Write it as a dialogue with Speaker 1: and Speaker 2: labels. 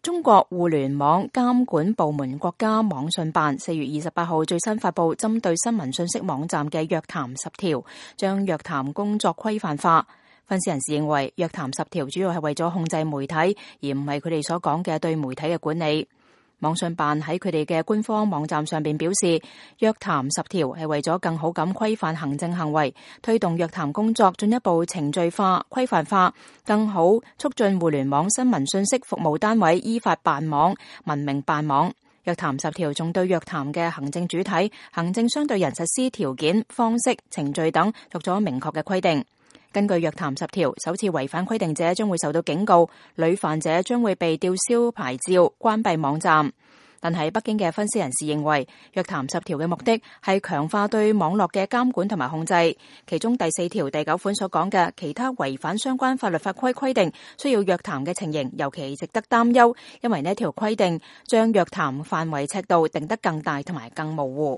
Speaker 1: 中國互聯網監管部門國家網信辦4月28號最新發布針對新聞信息網站嘅約談10條，將約談工作規範化。分析人士認為，約談10條主要係為咗控制媒體，而唔係佢哋所講嘅對媒體嘅管理。網信辦喺佢哋嘅官方網站上邊表示，約談10條係為咗更好咁規範行政行為，推動約談工作進一步程序化、規範化，更好促進互聯網新聞信息服務單位依法辦網、文明辦網。約談10條仲對約談嘅行政主體、行政相對人實施條件、方式、程序等作咗明確嘅規定。根據約談10條，首次違反規定者將會受到警告，屢犯者將會被吊銷牌照、關閉網站。但係北京嘅分析人士認為，約談10條嘅目的係強化對網絡嘅監管同埋控制，其中第4條第9款所講嘅其他違反相關法律法規規定需要約談嘅情形，尤其值得擔憂，因為呢條規定將約談範圍尺度定得更大同埋更模糊。